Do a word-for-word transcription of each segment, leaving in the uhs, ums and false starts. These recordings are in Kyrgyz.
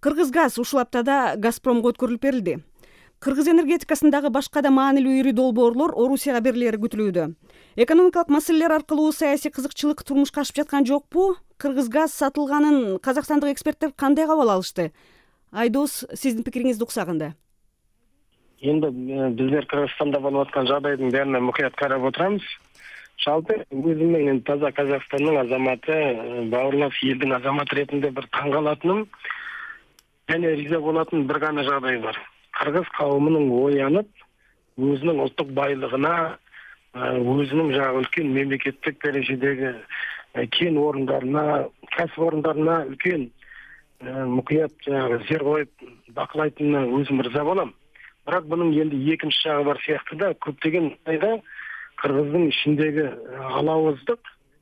Кыргызгаз ушул аптада Газпромго өткөрүлүп берилди. Кыргыз энергетикасындагы башка да маанилүү ири долбоорлор Орусияга берилери күтүлүүдө. Экономикалык маселелер аркылуу саясий кызыкчылык турмушка ашып жаткан жокпу? Кыргызгаз сатылганын казакстандык эксперттер кандай кабыл алышты? Айдос, сиздин пикириңизди уксак анда. Эми биздер Кыргызстанда болуп аткан жагдайдын баарына мукуят карап отурабыз. Жалпы өзүм менен таза Казакстандын азаматы, бауырлас элдин азаматы ретинде бир таң калатыным және риза болатын бир гана жагдай бар. Кыргыз кавымынын оянып, өзүнүн улуттук байлыгына, өзүнүн жагы үлкөн мемлекеттик дарежедеги кен орундарына, касып орундарына үлкөн мукуят зер коюп бакылайтынына өзүм риза болом. Бирок бунун эми экинчи жагы бар сыяктуу да, көптөгөн айда Кыргыздын ичиндеги алабыздык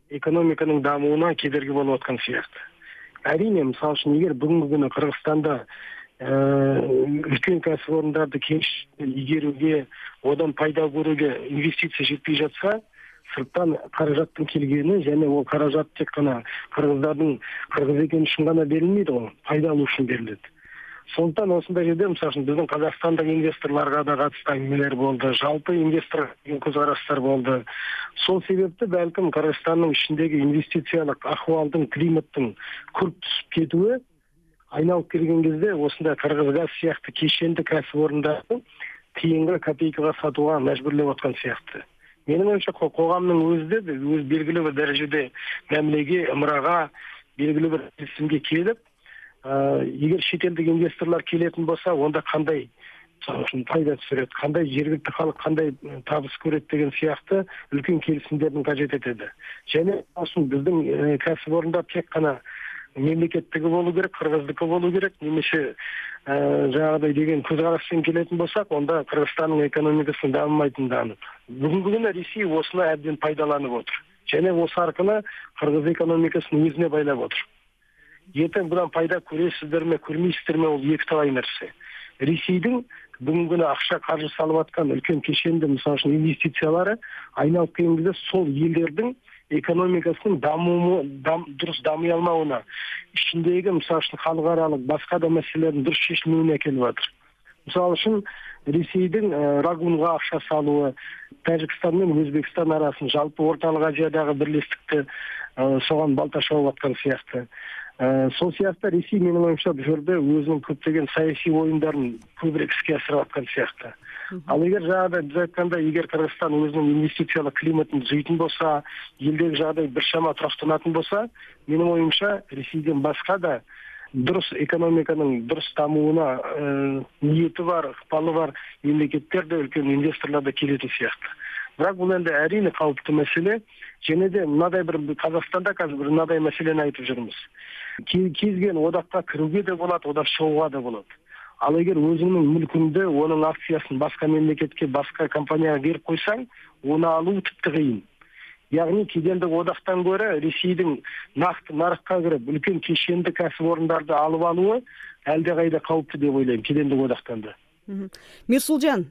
экономиканын дамууна кедерги болуп аткан сыяктуу. Әрине, мисалы үчүн, эгер бүгүнкү күнү Кыргызстанда үлкөн касып орундарды игерүүгө, одан пайда көрүүгө инвестиция жетпей жатса, сырттан каражаттын келгени және ол каражат тек гана кыргыздардын кыргыз экени үчүн гана берилмейди го, пайда алуу үчүн берилет. Сондуктан осундай жерде, мисалы үчүн, биздин Казакстандык инвесторлорго да катышты аңгемелер болду, жалпы инвестор көз караштар болду. Сол себепти балким Кыргызстандын ичиндеги инвестициялык акыбалдын, климаттын күрт түшүп кетүүі айналып келген кезде осындай Кыргызгаз сыяктуу кешенди касып орундарды тыйынга, копейкага сатууга мажбурлап аткан сыяктуу. Менин оюмча, коомдун өзү да өз белгилүү бир дарежеде мамилеге, ымырага, белгилүү бир келисимге келип, эгер шет элдик инвесторлор келетін болса, онда кандай пайда түсүрөт, кандай жергиликтүү калк кандай табыс көрөт деген сыяктуу үлкөн келисимдердин кажет этеди. Және ошол биздин касып орундар тек гана мемлекеттиги болуу керек, кыргыздыкы болуу керек, немесе жагыдай деген көз карашпен келетін болсак, онда Кыргызстандын экономикасы дамымайтыны анык. Бүгүнкү күнү Ресей осуну абдан пайдаланып отур. Және осы аркылуу Кыргыз экономикасын өзүнө байлап отур. Ертең бұдан пайда көресіздер ме, көрмейсіздер ме, ол екі талай нәрсе. Ресейдің бүгінгі күні ақша қаржы салып атқан үлкен кешенді, мысалы үшін, инвестициялары айналып келген кезде сол елдердің экономикасының дамуы, дам, дұрыс дами алмауына, ішіндегі, мысалы үшін, халықаралық басқа да мәселелердің дұрыс шешілмеуіне әкеліп жатыр. Мысалы үшін, Ресейдің Рагунға ақша салуы, Тәжікстан мен Өзбекстан арасын, жалпы Орталық Азиядағы бірлестікті соған балта шауып атқан сияқты. Сол сияқты Ресей, менің ойымша, бұл жерде өзінің көптеген саяси ойындарын көбірек іске асырып атқан сияқты. Ал егер жағдай біз айтқанда, егер Кыргызстан өзінің инвестициялық климатын түзейтін болса, елдегі жағдай біршама тұрақтанатын болса, менің ойымша, Ресейден басқа да дұрыс экономиканың дұрыс дамуына ниеті бар, ықпалы бар мемлекеттер де, үлкен инвесторлар да келетін сияқты. Бірақ бұл енді әрине қауіпті мәселе. Және де мынадай бір Қазақстанда қазір бір мынадай мәселені айтып жүрміз. Кезген одаққа кіруге де болады, одақ шығуға да болады. Ал егер өзіңнің мүлкіңді, оның акциясын басқа мемлекетке, басқа компанияға беріп қойсаң, оны алу тіпті қиын. Яғни кедендік одақтан гөрі Ресейдің нақты нарыққа кіріп, үлкен кешенді кәсіпорындарды алып алуы әлдеқайда қауіпті деп ойлаймын, кедендік одақтан да. Мирсулжан,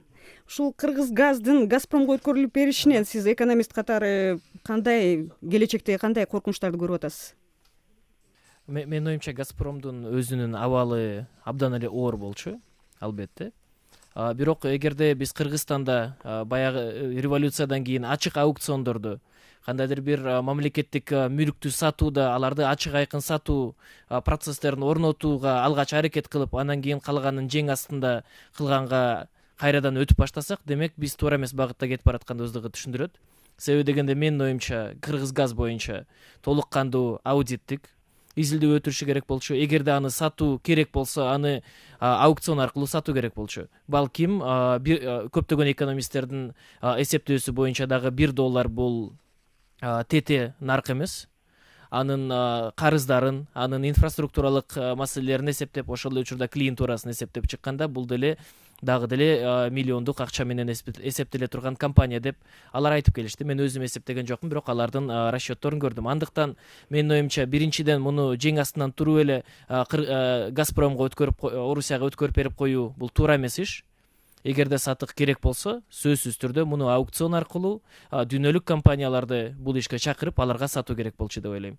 ушул Кыргызгаздын Газпромго өткөрүлүп беришинен сиз экономист катары кандай келечекте кандай коркунучтарды көрүп атасыз? Менин оюмча, Газпромдун өзүнүн абалы абдан эле оор болчу, албетте. Бирок эгерде биз Кыргызстанда баягы революциядан кийин ачык аукциондорду, кандайдыр бир мамлекеттик мүлктү сатууда, аларды ачык айкын сатуу процесстерин орнотууга алгач аракет кылып, анан кийин калганын жең астында кылганга кайрадан өтүп баштасак, демек биз туура эмес багытта кетип баратканыбызды түшүндүрөт. Себеби дегенде менин оюмча, Кыргызгаз боюнча толук кандуу аудиттик изилдөө өтүрүшү керек болчу. Эгерде аны сатуу керек болсо, аны аукцион аркылуу сатуу керек болчу. Балким көптөгөн экономисттердин эсептөөсү боюнча дагы бир доллар бул тете нарк эмес. Анын карыздарын, анын инфраструктуралык маселелерин эсептеп, ошол эле учурда клиентурасын эсептеп чыкканда, бул деле дагы деле миллиондук акча менен эсептеле турган компания деп алар айтып келишти. Мен өзүм эсептеген жокмун, бирок алардын расчетторун көрдүм. Андыктан менин оюмча, биринчиден муну жең астынан туруп эле Газпромго өткөрүп, Орусияга өткөрүп берип коюу бул туура эмес иш. Эгерде сатык керек болсо, сөзсүз түрдө муну аукцион аркылуу дүйнөлүк компанияларды бул ишке чакырып, аларга сатуу керек болчу деп ойлойм.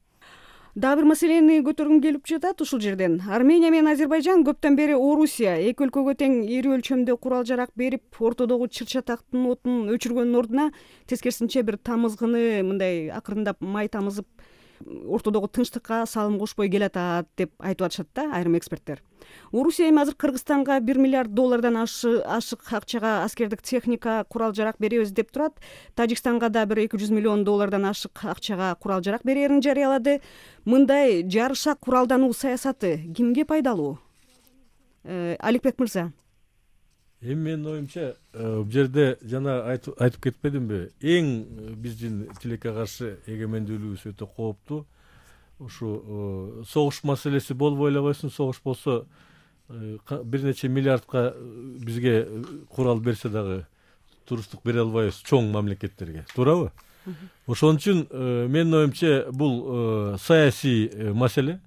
Дагы бир маселени көтөргүм келип жатат ушул жерден. Армения менен Азербайжан көптөн бери Орусия эки өлкөгө тең ири өлчөмдө курал жарак берип, ортодогу чыр чатактын отун өчүргөндүн ордуна тескерисинче бир тамызгыны мындай акырындап май тамызып ортодогу тынчтыкка салым кошпой келатат деп айтып атышат да айрым эксперттер. Орусия эми азыр Кыргызстанга бир миллиард доллардан ашык акчага аскердик техника, курал жарак беребиз деп турат. Тажикстанга да бир эки жүз миллион доллардан ашык акчага курал жарак берерин жарыялады. Мындай жарыша куралдануу саясаты кимге пайдалуу? Аликбек мырза. Эми менин оюмча, бул жерде жана айтып кетпедимби, эң биздин тилекке каршы эгемендүүлүгүбүз өтө кооптуу. Ушу согуш маселеси болбой элебайсың, согуш болсо бир нече миллиардка бизге курал берсе дагы туруштук бере албайбыз чоң мамлекеттерге, туурабы? Ошон үчүн менин оюмча бул саясий маселе.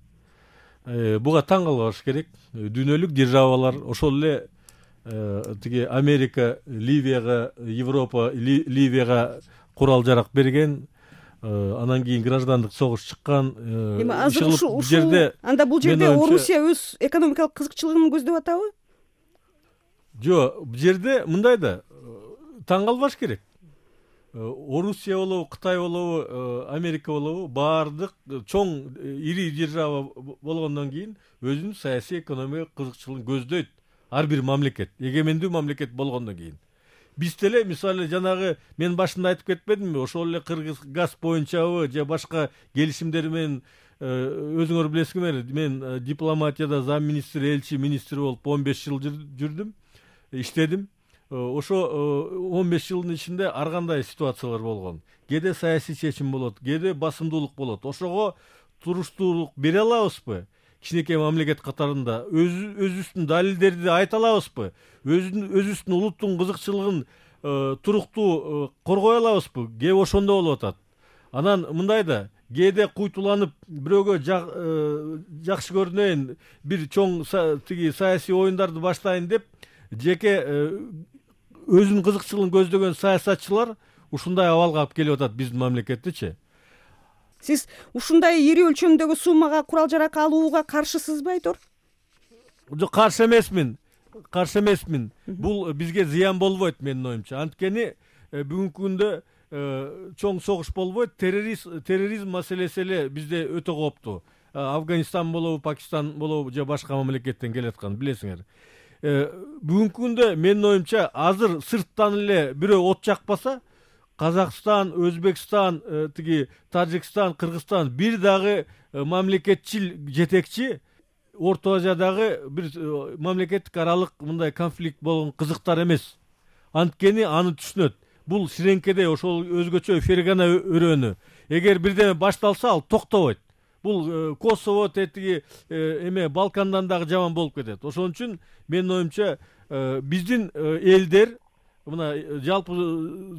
Буга таң калбаш керек. Дүйнөлүк державалар ошол эле тиги Америка Ливияга, Европа Ливияга курал жарак берген, анан кийин граждандык согуш чыккан. Эми азыр ушул жерде анда бул жерде Орусия өз экономикалык кызыкчылыгын көздөп атабы? Жок, бул жерде мындай да таң калбаш керек. Орусия болобу, Кытай болобу, Америка болобу, баардык чоң ири держава болгондон кийин өзүнүн саясий экономикалык кызыкчылыгын көздөйт. Ар бир мамлекет, эгемендүү мамлекет болгондон кийин. Биз деле мисалы жанагы мен башында айтып кетпедимби, ошол эле Кыргыз газ боюнчабы же башка келишимдер менен өзүңөр билесиңер, мен дипломатияда зам министр, элчи, министр болуп он беш жыл жүрдүм, иштедим. Ошо он беш жылдын ичинде ар кандай ситуациялар болгон. Кээде саясий чечим болот, кээде басымдуулук болот. Ошого туруштуулук бере алабызбы? Кичинекей мамлекет катарында өзүбүздүн далилдерди айта алабызбы? Өзүбүздүн улуттун кызыкчылыгын туруктуу коргой алабызбы? Кээ ошондо болуп атат. Анан мындай да, кээде куйтуланып бирөөгө жакшы көрүнөйүн, бир чоң тиги саясий оюндарды баштайын деп, жеке өзүнүн кызыкчылыгын көздөгөн саясатчылар ушундай абалга алып келип атат биздин мамлекеттичи. Сиз ушундай ири өлчөмдөгү суммага курал жарак алууга каршысызбы, Айтор? Жок, каршы эмесмин. Каршы эмесмин. Бул бизге зыян болбойт менин оюмча. Анткени бүгүнкү күндө чоң согуш болбойт, терроризм маселеси эле бизде өтө кооптуу. Афганистан болобу, Пакистан болобу же башка мамлекеттен келаткан, билесиңер. Бүгүнкү күндө менин оюмча азыр сырттан эле бирөө от жакпаса, Казакстан, Өзбекстан, тиги Тажикстан, Кыргызстан бир дагы мамлекетчил жетекчи Орто Азиядагы бир мамлекеттик аралык мындай конфликт болгон кызыктар эмес. Анткени аны түшүнөт. Бул ширеңкеде ошол өзгөчө фергана өрөөнү. Эгер бирдеме башталса, ал токтобойт. Бул Косово, тетиги эме Балкандан дагы жаман болуп кетет. Ошон үчүн менин оюмча биздин элдер мына жалпы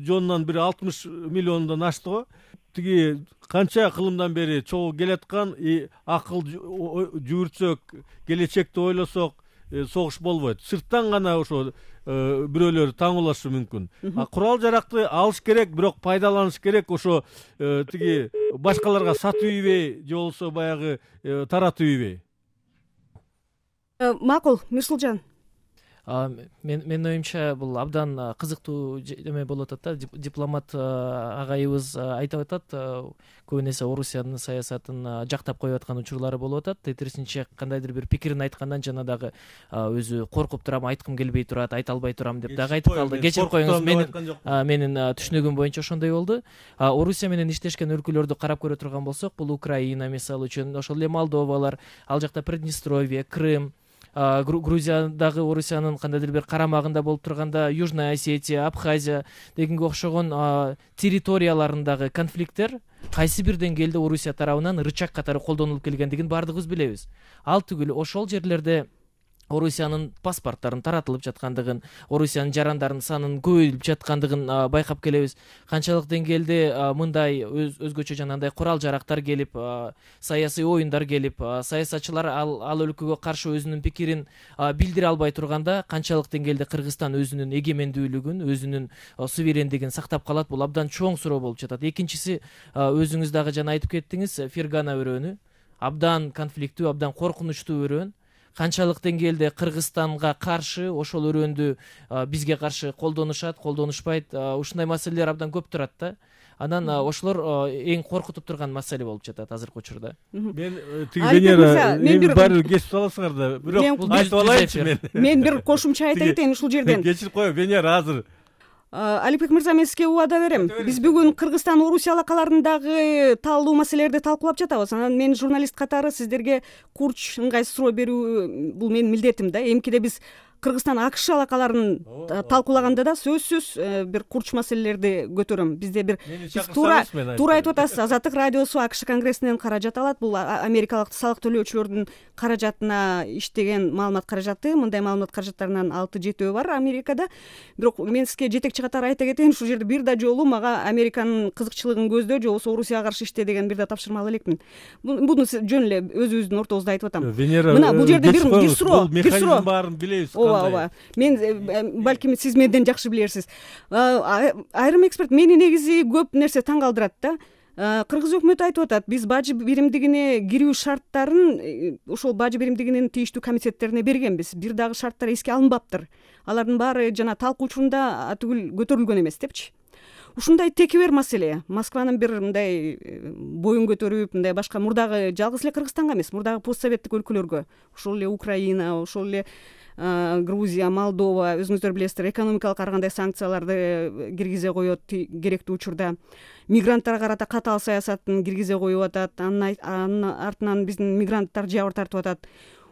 жонунан бир алтымыш миллиондон ашты го. Тиги канча кылымдан бери чогуу келаткан, акыл жүгүртсөк, келечекти ойлосок, согуш болбойт. Сырттан гана ошо бирөөлөр таңуулашы мүмкүн. Курал жаракты алыш керек, бирок пайдаланыш керек, ошо тиги башкаларга сатып ийбей, же болбосо баягы таратып ийбей. Макул, Мирсулжан. Мен менин оюмча бул абдан кызыктуу эме болуп атат да. Дипломат агайыбыз айтып атат, көбүн эсе Орусиянын саясатын жактап коюп аткан учурлары болуп атат. Тетирисинче кандайдыр бир пикирин айткандан жана дагы өзү коркуп турам, айткым келбей турат, айта албай турам деп дагы айтып калды. Кечирип коюңуз, менин менин түшүнүгүм боюнча ошондой болду. Орусия менен иштешкен өлкөлөрдү карап көрө турган болсок, бул Украина мисалы үчүн, ошол эле Молдовалар, ал жакта Приднестровье, Крым, Грузиядагы Орусиянын кандайдыр бир карамагында болуп турганда Южная Осетия, Абхазия дегенге окшогон территорияларындагы конфликттер кайсы бир деңгээлде Орусия тарабынан рычаг катары колдонулуп келгендигин баардыгыбыз билебиз. Ал түгүл ошол жерлерде Орусиянын паспорттарын таратылып жаткандыгын, Орусиянын жарандарынын санынын көбөйүп жаткандыгын байкап келебиз. Канчалык деңгээлде мындай өзгөчө жанагындай курал жарактар келип, саясий оюндар келип, саясатчылар ал ал өлкөгө каршы өзүнүн пикирин билдире албай турганда, канчалык деңгээлде Кыргызстан өзүнүн эгемендүүлүгүн, өзүнүн суверендигин сактап калат, бул абдан чоң суроо болуп жатат. Экинчиси, өзүңүз дагы жана айтып кеттиңиз, Фергана өрөөнү. абдан конфликттүү, абдан коркунучтуу өрөөн. Канчалык деңгээлде Кыргызстанга каршы ошол өрөндү бизге каршы колдонушат, колдонушпайт, ушундай маселелер абдан көп турат да. Анан ошолор эң коркутуп турган маселе болуп жатат азыркы учурда. Мен тиги Венера эми баары кесип аласыңар да, бирок айтып алайынчы мен. Мен бир кошумча айта кетейин ушул жерден. Кечирип коеюн, Венера азыр. Алипбек мырза, мен сизге убада берем. Биз бүгүн Кыргызстан, Орусия алакаларындагы таалуу маселелерди талкуулап жатабыз. Анан мен журналист катары сиздерге курч ыңгайсыз суроо берүү бул менин милдетим да. Эмкиде биз Кыргызстан АКШ алакаларын талкуулаганда да сөзсүз бир курч маселелерди көтөрөм. Бизде бир туура туура айтып атасыз. Азаттык радиосу АКШ конгрессинен каражат алат. Бул америкалык салык төлөөчүлөрдүн каражатына иштеген маалымат каражаты. Мындай маалымат каражаттарынын алты жетөө бар Америкада. Бирок мен сизге жетекчи катары айта кетейин, ушул жерде бир да жолу мага Американын кызыкчылыгын көздө, же болбосо Орусияга каршы иште деген бир да тапшырма ала элекмин. Буну жөн эле өзүбүздүн ортобузда айтып атам. Мына бул жерде бир бир суроо, бир суроо баарын билебиз. Ооба, ооба. Мен балким сиз менден жакшы билерсиз. Айрым эксперт мени негизи көп нерсе таң калтырат да. Кыргыз өкмөтү айтып атат, биз бажы биримдигине кирүү шарттарын ошол бажы биримдигинин тийиштүү комитеттерине бергенбиз. Бир дагы шарттар эске алынбаптыр. Алардын баары жана талкуу учурунда атүгүл көтөрүлгөн эмес депчи. Ушундай текебер маселе Москванын бир мындай боюн көтөрүп, мындай башка мурдагы жалгыз эле Кыргызстанга эмес, мурдагы постсоветтик өлкөлөргө, ошол эле Украина, ошол эле Грузия, Молдова, өзүңүздөр билесиздер, экономикалык ар кандай санкцияларды киргизе коет керектүү учурда. Мигранттарга карата катаал саясатын киргизе коюп атат. Анын артынан биздин мигранттар жабыр тартып атат.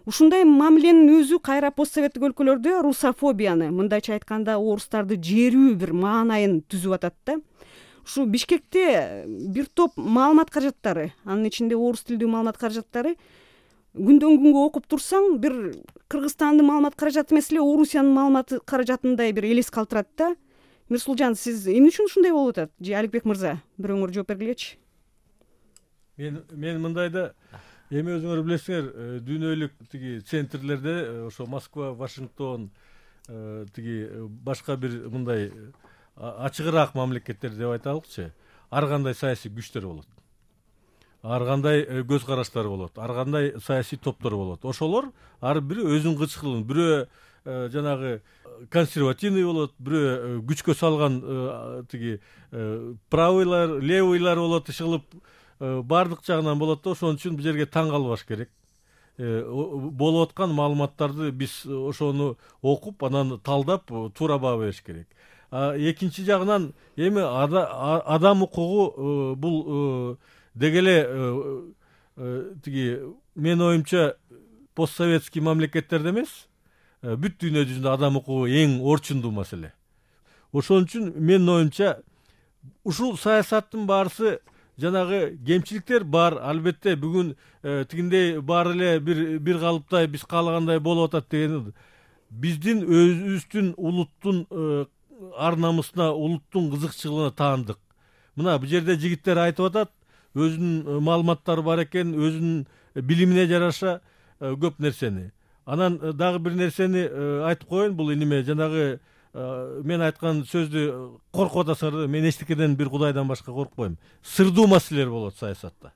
Ушундай мамиленин өзү кайра постсоветтик өлкөлөрдө русофобияны, мындайча айтканда орустарды жерүү бир маанайын түзүп атат да. Ушу Бишкекте бир топ маалымат каражаттары, анын ичинде орус тилдүү маалымат каражаттары күндөн күнгө окуп турсаң, бир Кыргызстандын маалымат каражаты эмес эле Орусиянын маалымат каражатындай бир элес калтырат да. Мирсулжан, сиз эмне үчүн ушундай болуп атат? Же Аликбек мырза, бирөөңөр жооп бергилечи. Мен мен мындайда эми өзүңөр билесиңер, дүйнөлүк тиги центрлерде, ошо Москва, Вашингтон, тиги башка бир мындай ачыгыраак мамлекеттер деп айталыкчы, ар кандай саясий күчтөр болот. Ар кандай көз караштар болот, ар кандай саясий топтор болот. Ошолор ар бири өзүнүн кычкылын, бирөө жанагы консервативный болот, бирөө күчкө салган тиги правыйлар, левыйлар болот, иши баардык жагынан болот да. Ошон үчүн бул жерге таң калбаш керек. Болуп аткан маалыматтарды биз ошону окуп, анан талдап, туура баа бериш керек. Экинчи жагынан эми адам укугу бул деги эле тиги менин оюмча постсоветский мамлекеттерде эмес, бүт дүйнө жүзүндө адам укугу эң орчундуу маселе. Ошон үчүн менин оюмча ушул саясаттын баарысы жанагы кемчиликтер бар, албетте бүгүн тигиндей баары эле бир бир калыптай биз каалагандай болуп атат деген биздин өзүбүздүн улуттун ар намысына, улуттун кызыкчылыгына таандык. Мына бул жерде жигиттер айтып атат, өзүнүн маалыматтары бар экен, өзүнүн билимине жараша көп нерсени. Анан дагы бир нерсени айтып коеюн, бул эниме жанагы мен айткан сөздү коркуп атасыңар, мен эчтекеден бир Кудайдан башка коркпойм. Сырдуу маселелер болот саясатта.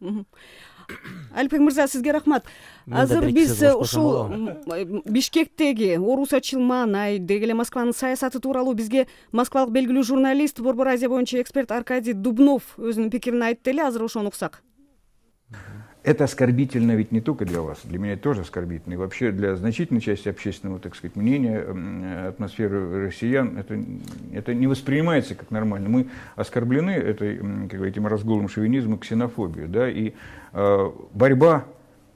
Алипбек мырза, сизге рахмат. Азыр биз ушул Бишкектеги орусачыл маанай, деги эле Москванын саясаты тууралуу бизге москвалык белгилүү журналист, Борбор Азия боюнча эксперт Аркадий Дубнов өзүнүн пикирин айтты эле. Азыр ошону уксак. Это оскорбительно ведь не только для вас, для меня тоже оскорбительно. И вообще для значительной части общественного, так сказать, мнения, атмосферы россиян, это, это не воспринимается как нормально. Мы оскорблены этой, как этим разгулом шовинизма, ксенофобией. Да? И э, борьба,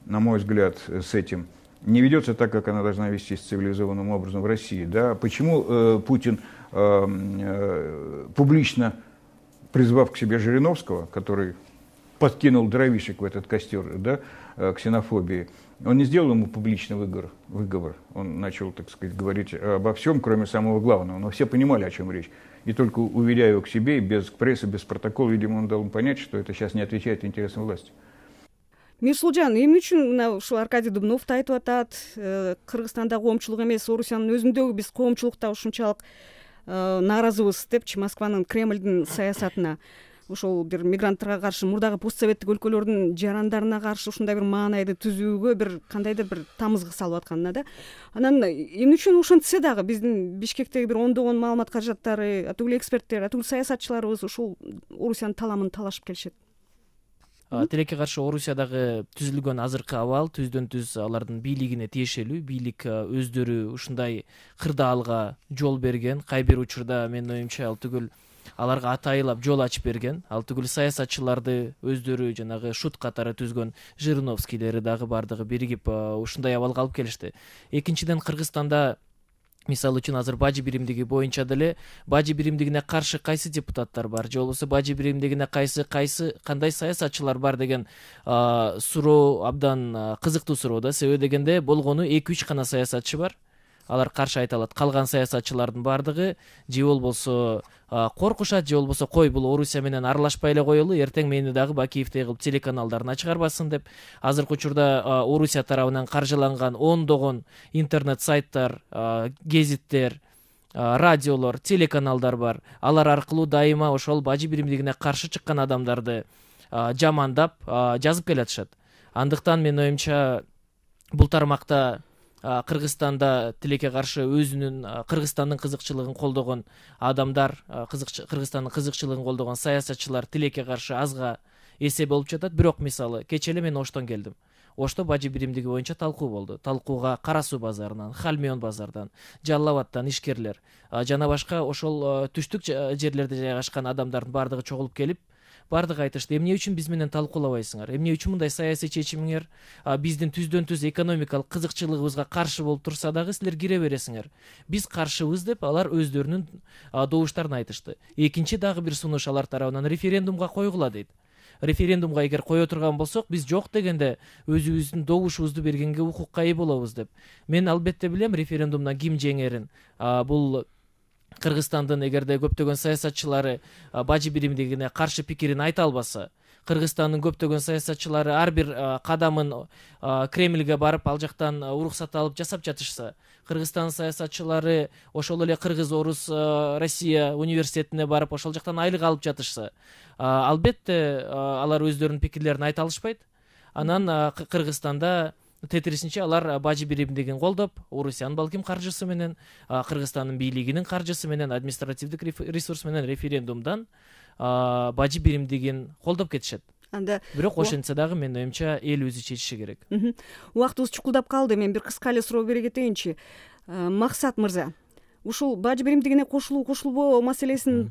на мой взгляд, с этим не ведется так, как она должна вестись цивилизованным образом в России. Да? Почему э, Путин, э, э, публично призвав к себе Жириновского, который подкинул дровишек в этот костер, да, ксенофобии, он не сделал ему публичный выговор, выговор. Он начал, так сказать, говорить обо всем, кроме самого главного. Но все понимали, о чем речь. И только уведя его к себе, без прессы, без протокола, видимо, он дал ему понять, что это сейчас не отвечает интересам власти. Мирсулжан, эмне үчүн мына ушул Аркадий Дубнов да айтып атат, Кыргызстанда коомчулук эмес, Орусиянын өзүндөгү биз коомчулукта ушунчалык нааразыбыз депчи Москванын, Кремлдин саясатына. ошол бир мигранттарга каршы мурдагы постсоветтик өлкөлөрдүн жарандарына каршы ушундай бир маанайды түзүүгө бир кандайдыр бир тамызгы салып атканына да. Анан эмне үчүн ошентсе дагы биздин Бишкектеги бир ондогон маалымат каражаттары, атүгүл эксперттер, атүгүл саясатчыларыбыз ушул Орусиянын таламын талашып келишет? Тилекке каршы Орусиядагы түзүлгөн азыркы абал түздөн түз алардын бийлигине тиешелүү. Бийлик өздөрү ушундай кырдаалга жол берген. Кай бир учурда менин оюмча ал түгүл аларга атайылап жол ачып берген. Ал түгүл саясатчыларды өздөрү жанагы шут катары түзгөн Жириновскийлери дагы бардыгы биригип ушундай абалга алып келишти. Экинчиден, Кыргызстанда мисалы үчүн азыр бажы биримдиги боюнча деле бажы биримдигине каршы кайсы депутаттар бар, же болбосо бажы биримдигине кайсы кайсы кандай саясатчылар бар деген суроо абдан кызыктуу суроо да. Себеби дегенде болгону эки үч гана саясатчы бар. Алар каршы айта алат. Калган саясатчылардын бардыгы же болбосо коркушат, же болбосо кой бул Орусия менен аралашпай эле коелу, эртең мени дагы Бакиевдей кылып телеканалдарына чыгарбасын деп. Азыркы учурда Орусия тарабынан каржыланган ондогон интернет сайттар, гезиттер, радиолор, телеканалдар бар. Алар аркылуу дайыма ошол бажы биримдигине каршы чыккан адамдарды жамандап жазып келатышат. Андыктан менин оюмча бул тармакта Кыргызстанда тилекке каршы өзүнүн Кыргызстандын кызыкчылыгын колдогон адамдар, Кыргызстандын кызыкчылыгын колдогон саясатчылар тилекке каршы азга эсе болуп жатат. Бирок мисалы кечээ эле мен Оштон келдим. Ошто бажы биримдиги боюнча талкуу болду. Талкууга Кара Суу базарынан, Хальмион базардан, Жалал Абадтан ишкерлер жана башка ошол түштүк жерлерде жайгашкан адамдардын бардыгы чогулуп келип, бардыгы айтышты: эмне үчүн биз менен талкуулабайсыңар? Эмне үчүн мындай саясий чечимиңер биздин түздөн түз экономикалык кызыкчылыгыбызга каршы болуп турса дагы силер кире бересиңер? Биз каршыбыз деп алар өздөрүнүн добуштарын айтышты. Экинчи дагы бир сунуш алар тарабынан референдумга койгула дейт. Референдумга эгер кое турган болсок, биз жок дегенде өзүбүздүн добушубузду бергенге укукка ээ болобуз деп. Мен албетте билем референдумдан ким жеңерин. Бул Кыргызстандын эгерде көптөгөн саясатчылары бажы биримдигине каршы пикирин айта албаса, Кыргызстандын көптөгөн саясатчылары ар бир кадамын Кремльге барып ал жактан уруксат алып жасап жатышса, Кыргызстандын саясатчылары ошол эле Кыргыз-Орус Россия университетине барып ошол жактан айлык алып жатышса, албетте алар өздөрүнүн пикирлерин айта алышпайт. Анан Кыргызстанда тетирисинче алар бажы биримдигин колдоп, Орусиянын балким каржысы менен, Кыргызстандын бийлигинин каржысы менен, административдик ресурс менен референдумдан бажы биримдигин колдоп кетишет. Анда бирок ошентсе дагы менин оюмча эл өзү чечиши керек. Убактыбыз чукулдап калды. Мен бир кыска эле суроо бере кетейинчи. Максат мырза, ушул бажы биримдигине кошулуу кошулбоо маселесин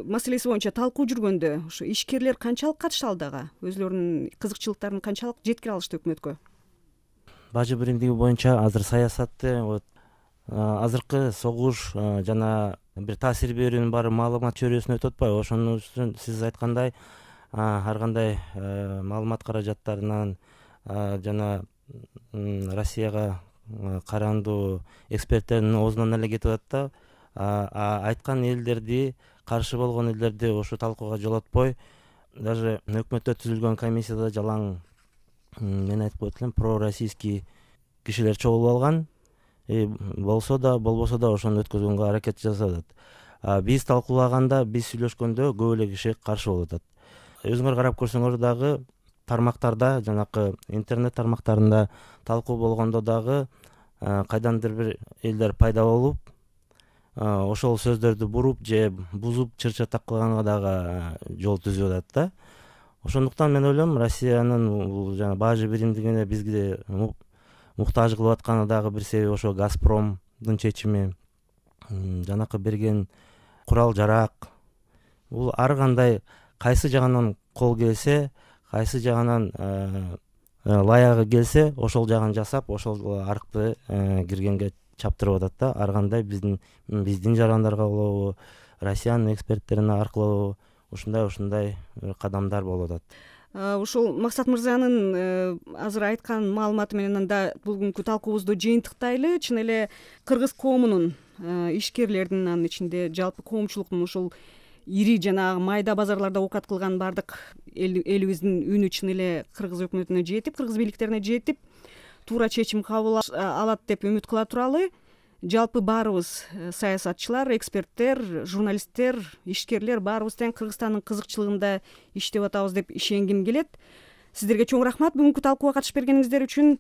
маселеси боюнча талкуу жүргөндө ушу ишкерлер канчалык катышты алдыга? Өзүлөрүнүн кызыкчылыктарын канчалык жеткире алышты өкмөткө? Бажы биримдиги боюнча азыр саясатты вот азыркы согуш жана бир таасир берүүнүн баары маалымат чөйрөсүнө өтүп атпайбы? Ошон үчүн сиз айткандай ар кандай маалымат каражаттарынан жана Россияга карандуу эксперттердин оозунан эле кетип атат да. Айткан элдерди, каршы болгон элдерди ошо талкууга жолотпой, даже өкмөттө түзүлгөн комиссияда жалаң мен айтып коет элем, пророссийский кишилер чогулуп алган. Болсо да, болбосо да ошону өткөзгөнгө аракет жасап атат. Биз талкуулаганда, биз сүйлөшкөндө көп эле киши каршы болуп атат. Өзүңөр карап көрсөңөр дагы тармактарда, жанакы интернет тармактарында талкуу болгондо дагы кайдандыр бир элдер пайда болуп, ошол сөздөрдү буруп же бузуп чыр-чатак кылганга дагы жол түзүп атат да. Ошондуктан мен ойлойм, Россиянын бул жана бажы биримдигине бизге муктаж кылып атканы дагы бир себеби ошо Газпромдун чечими, жанакы берген курал-жарак. Бул ар кандай кайсы жагынан кол келсе, кайсы жагынан лаягы келсе, ошол жагын жасап, ошол аркылуу киргенге чаптырып атат да. Ар кандай биздин биздин жарандарга болобу, Россиянын эксперттерине аркылуу ушундай ушундай кадамдар болуп атат. Ушул Максат мырзанын азыр айткан маалыматы менен анда бүгүнкү талкуубузду жыйынтыктайлы. Чын эле кыргыз коомунун, ишкерлердин, анын ичинде жалпы коомчулуктун ушул ири жанагы майда базарларда оокат кылган бардык элибиздин үнү чын эле кыргыз өкмөтүнө жетип, кыргыз бийликтерине жетип, туура чечим кабыл алат деп үмүт кыла туралы. жалпы баарыбыз саясатчылар, эксперттер, журналисттер, ишкерлер баарыбыз тең Кыргызстандын кызыкчылыгында иштеп атабыз деп ишенгим келет. Сиздерге чоң рахмат бүгүнкү талкууга катышып бергениңиздер үчүн.